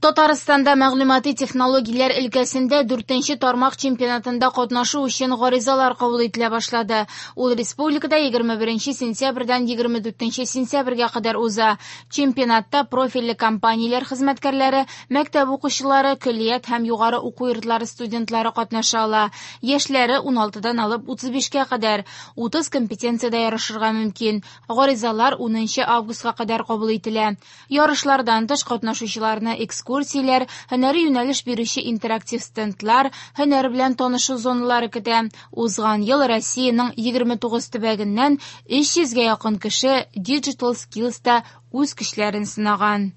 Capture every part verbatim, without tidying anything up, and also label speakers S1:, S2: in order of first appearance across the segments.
S1: Татарстанда мәгълүмати технологияләр өлкәсендә дүртенче тармак чемпионатында катнашу өчен гаризалар кабул ителә башлады. Ул республикада егерме беренче сентябрьдән егерме дүртенче сентябрьгә кадәр уза. Чемпионатта профильле компанияләр хезмәткәрләре, мәктәп укучылары, көллият һәм югары уку йортлары студентлары катнаша ала. Яшьләре ун алтыдан алып утыз бишкә кадәр, утыз компетенциядә ярышырга мөмкин. Гаризалар унынчы августка кадәр кабул ителә. Ярышлардан тыш катнашучыларны экскурсияләр, һөнәри юнәлеш бирүче интерактив стендлар, һөнәр белән танышу зоналары көтә. Узган ел Россиянең егерме тугыз төбәгеннән өч йөзгә якын кеше Digital Skills-та үз көчләрен сынаган.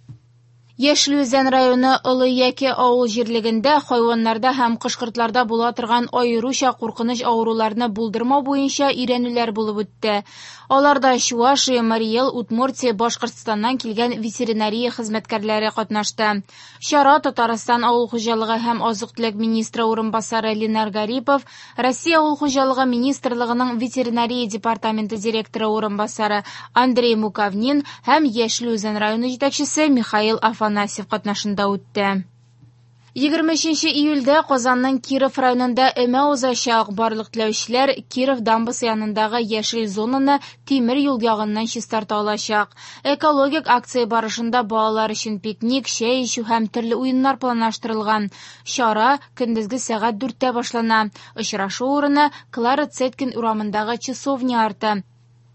S1: Яшел Үзән районы Олы Яке авыл җирлегендә хайваннарда һәм кош-кортларда була торган аеруча куркыныч авыруларны булдырмау буенча өйрәнүләр булып үтте. Аларда Чувашия, Марий Эл, Удмуртия, Башкортстаннан килгән ветеринария хезмәткәрләре катнашты. Чара Татарстан авыл хуҗалыгы һәм азык-төлек министры урынбасары Ленар Гарипов, Россия авыл хуҗалыгы министрлыгының ветеринария департаменты директоры урынбасары Андрей Муковнин һәм Яшел Үзән районы җитәкчесе Михаил Афанасьев катнашында үтте. Егерме өченче июльдә Казанның Киров районында өмә узачак. Барлык теләүчеләр Киров дамбасы янындагы яшел зонаны тимер юл ягыннан чистарта алачак. Экологик акция барышында балалар өчен пикник, чәй эчү һәм төрле уеннар планлаштырылган. Чара көндезге сәгать дүрттә башлана. Очрашу урыны Клара Цеткин урамындагы часовня арты.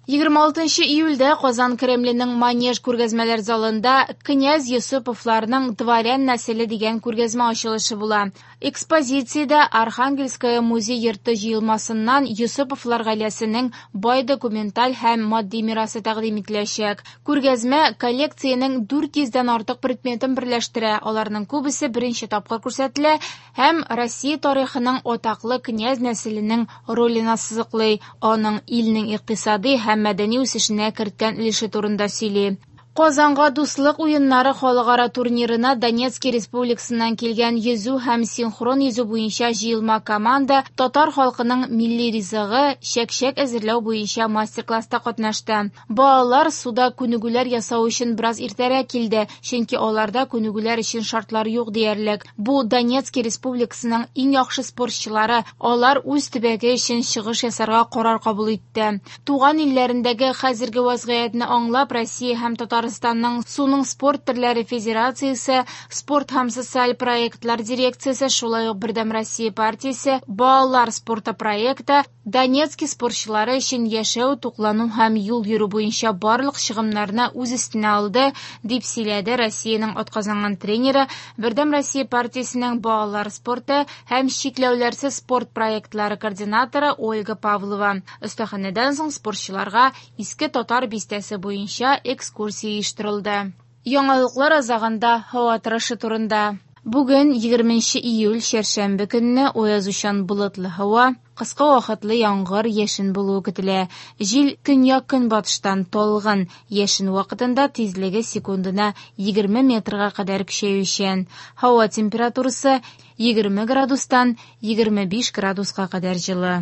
S1: Егерме алтынчы июльдә Казан Кремленең Манеж күргәзмәләр залында Князь Йосыповларның дворян нәселе дигән күргәзмә ачылышы була. Экспозициядә Архангельская музей йорты җыелмасыннан Йосыповлар гаиләсенең бай документаль һәм матди мирасы тәкъдим ителәчәк. Күргәзмә коллекциянең дүрт йөздән артык предметын берләштерә. Аларның күбесе беренче тапкыр күрсәтелә һәм Россия тарихының атаклы князь нәселенең ролен ассызыклый, аның илнең икътисади һәм мәдәни үсешенә керткән өлеше турында сөйли. Казанга дуслык уеннары халыкара турнирына Донецкий республикасыннан килгән йөзү һәм синхрон йөзү буенча җыелма команда татар халкының милли ризыгы чәк-чәк әзерләү буенча мастер-класста катнашты. Балалар суда күнегүләр ясау өчен бераз иртәрәк килде, чөнки аларда күнегүләр өчен шартлар юк диярлек. Бу Донецкий республикасының иң яхшы спортчылары, алар үз төбәге өчен чыгыш ясарга карар кабул итте. Туган илләрендәге хәзерге вазгыятьне аңлап, Россия һәм Татар Татарстанның суның спорт төрләре федерациясе, спорт һәм социаль проектлар дирекциясе, шулай ук Бердәм Россия партиясе, балалар спорты проекты Донецкий спортчылары өчен яшәү, туклану һәм юл йөрү буенча барлык чыгымнарны үз өстенә алды, дип сөйләде Россиянең атказанган тренеры, Бердәм Россия партиясенең балалар спорты һәм чикләүләрсез спорт проектлары координаторы Ольга Павлова. Остаханәдән соң спортчыларга Иске Татар бистәсе буенча экскурсия оештырылды. Яңалыклар азагында һава торышы турында. Бүген егерменче июль чәршәмбе көнне аязучан болытлы һава, кыска вакытлы яңгыр, яшен булуы көтелә. Җил көньяк-көнбатыштан талгын, яшен вакытында тизлеге секундына егерме метрга кадәр көчәючән. Һава температурасы егерме градустан егерме биш градуска кадәр җылы.